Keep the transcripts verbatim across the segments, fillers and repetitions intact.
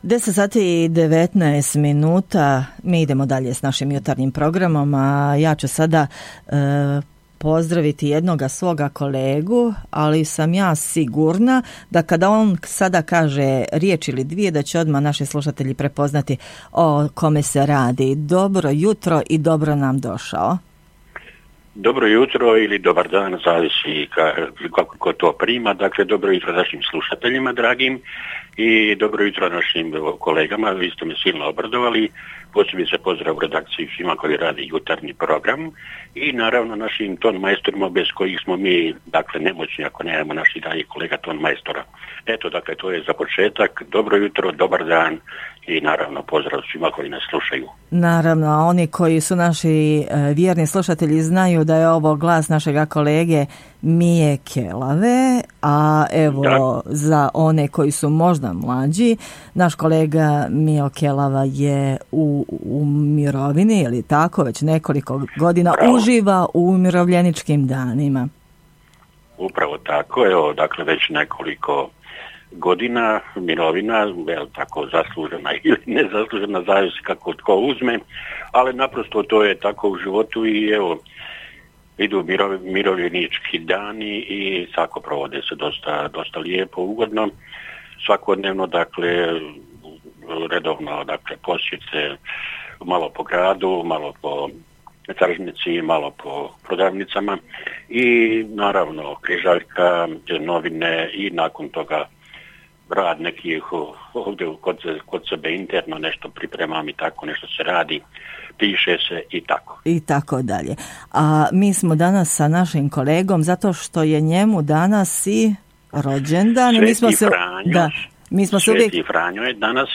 deset sati i devetnaest minuta, mi idemo dalje s našim jutarnjim programom, a ja ću sada e, pozdraviti jednoga svoga kolegu, ali sam ja sigurna da kada on sada kaže riječ ili dvije, da će odmah naši slušatelji prepoznati o kome se radi. Dobro jutro i dobro nam došao. Dobro jutro ili dobar dan, zavisi kako ko to prima. Dakle, dobro jutro našim slušateljima dragim i dobro jutro našim kolegama. Vi ste me silno obradovali. Posebice pozdrav u redakciji svima koji radi jutarnji program i naravno našim ton majstorima bez kojih smo mi, dakle, nemoćni ako nemamo naših dragih kolega ton majstora. Eto, dakle, to je za početak. Dobro jutro, dobar dan i naravno pozdrav svima koji nas slušaju. Naravno, a oni koji su naši e, vjerni slušatelji znaju da je ovo glas našega kolege Mije Kelave, a evo da. Za one koji su možda mlađi, naš kolega Mijo Kelava je u, u mirovini, ili tako, već nekoliko godina Bravo. Uživa u umirovljeničkim danima. Upravo tako, evo, dakle, već nekoliko godina mirovina, je tako zaslužena ili nezaslužena, zavisi kako tko uzme, ali naprosto to je tako u životu i evo, idu mirov, mirovljenički dani i svako provode se dosta, dosta lijepo, ugodno, svakodnevno, dakle, redovno, dakle, posjete malo po gradu, malo po tržnici, malo po prodavnicama i naravno križaljka, novine i nakon toga rad nekih ovdje kod, kod sebe interno nešto pripremam i tako nešto se radi, piše se i tako. I tako dalje. A mi smo danas sa našim kolegom zato što je njemu danas i rođendan. Sveti mi smo se, Franjo, da, mi smo Sveti se uvijek... Franjo je danas,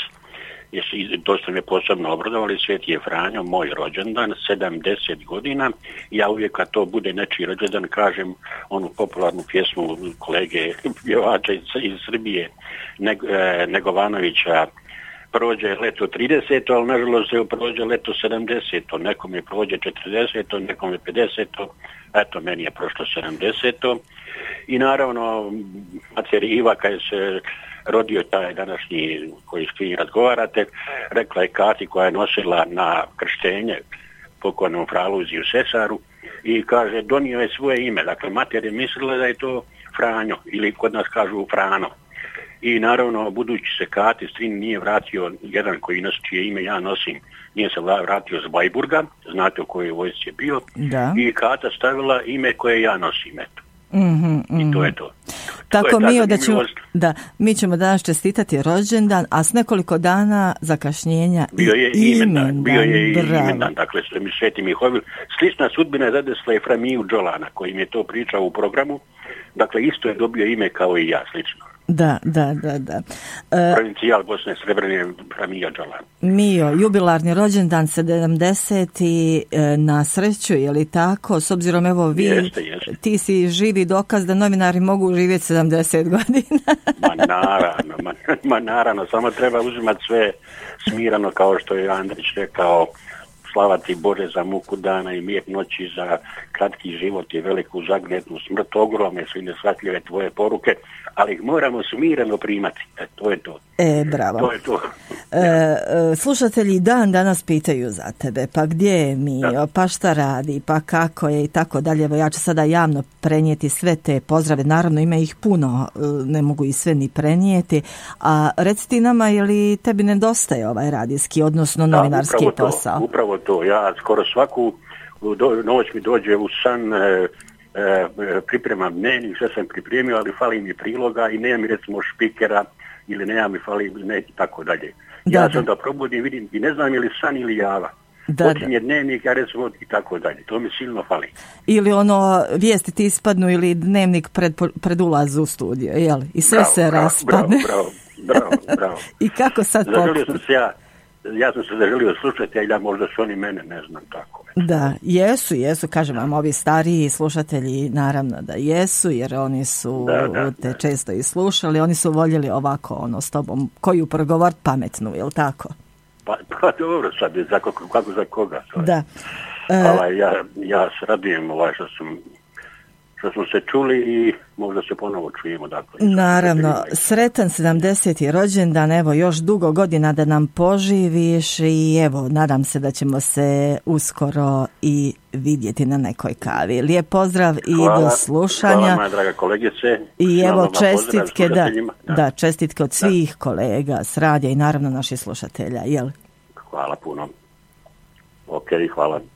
to ste me posebno obradovali, Sveti je Franjo, moj rođendan, sedamdeset godina. Ja uvijek kad to bude nečiji rođendan kažem onu popularnu pjesmu kolege pjevača iz, iz Srbije, Neg, e, Negovanovića, prođe leto trideseto, ali nažalost se prođe leto sedamdeseto, nekome prođe četrdeseto, nekome pedeseto, eto meni je prošlo sedamdeseto. I naravno, mater Iva kad se rodio taj današnji koji s kim razgovarate, rekla je Kati koja je nosila na krštenje pokojnom Fraluziju Sesaru i kaže donio je svoje ime. Dakle, mater je mislila da je to Franjo ili kod nas kažu Frano. I naravno, budući se Kati strin nije vratio, jedan koji nosi čije ime ja nosim, nije se vratio z Bajburga, znate u kojoj vojsci je bio, da. I Kata stavila ime koje ja nosim, eto. Mm-hmm, mm-hmm. I to je to. Tako to je mi, da ćemo, da, mi ćemo danas čestitati rođendan, a s nekoliko dana zakašnjenja bio je i imendan. imendan. Bio je i imendan, dakle, Sveti Mihovil. Slična sudbina je zadesla Eframiju Đolana, koji mi je to pričao u programu. Dakle, isto je dobio ime kao i ja, slično. Da, da, da, da. E, Provincijal Bosne Srebrene Eframija Đolan. Mio, jubilarni rođendan sedamdeseti e, na sreću, je li tako? S obzirom, evo, vi, jeste, jeste. Ti si živi dokaz da novinari mogu živjeti sedamdeset godina. ma naravno, ma, ma naravno, samo treba uzimati sve smirano, kao što je Andrić rekao, slava ti Bože za muku dana i mir noći, za kratki život i veliku zagnetnu smrt, ogromne su i nesvatljive tvoje poruke, ali ih moramo smireno primati. E, to je to. E, bravo. To je to. E, e, slušatelji dan danas pitaju za tebe, pa gdje je Mio, da. Pa šta radi, pa kako je i tako dalje. Evo, ja ću sada javno prenijeti sve te pozdrave, naravno ima ih puno, ne mogu i sve ni prenijeti, a reci ti nama, je li tebi nedostaje ovaj radijski, odnosno novinarski da, upravo posao? To, upravo to, ja skoro svaku do, noć mi dođe u san, e, e, pripremam dnevnik, sve sam pripremio, ali fali mi priloga i nema mi recimo špikera ili nema mi fali ne, i tako dalje. Da, ja da. sam da probudim, vidim i ne znam je li san ili java. Da, počinje dnevnik, ja recimo i tako dalje. To mi silno fali. Ili ono, vijesti ti ispadnu ili dnevnik pred, pred ulaz u studio, jel? I sve bravo, se bravo, raspadne. Bravo, bravo, bravo, bravo. I kako sad zaželio sam se ja, ja sam se zaželio slušati, a možda su oni mene, ne znam tako. Da, jesu, jesu, kažem vam, ovi stariji slušatelji naravno da jesu, jer oni su da, da, te da. često i slušali, oni su voljeli ovako, ono, s tobom, koju progovor pametnu, jel tako? Pa, pa dobro, sad, za kako, kako za koga? Da. E... Ovaj, ja, ja se radujem ovaj, što sam što smo se čuli i možda se ponovo čujemo. Dakle, naravno, sretan sedamdeseti rođendan, evo još dugo godina da nam poživiš i evo, nadam se da ćemo se uskoro i vidjeti na nekoj kavi. Lijep pozdrav i hvala, do slušanja. Hvala moja draga kolegice. I evo čestitke, da, da. da, čestitke od svih da. kolega s radija i naravno naših slušatelja. Jel? Hvala puno. Ok, hvala.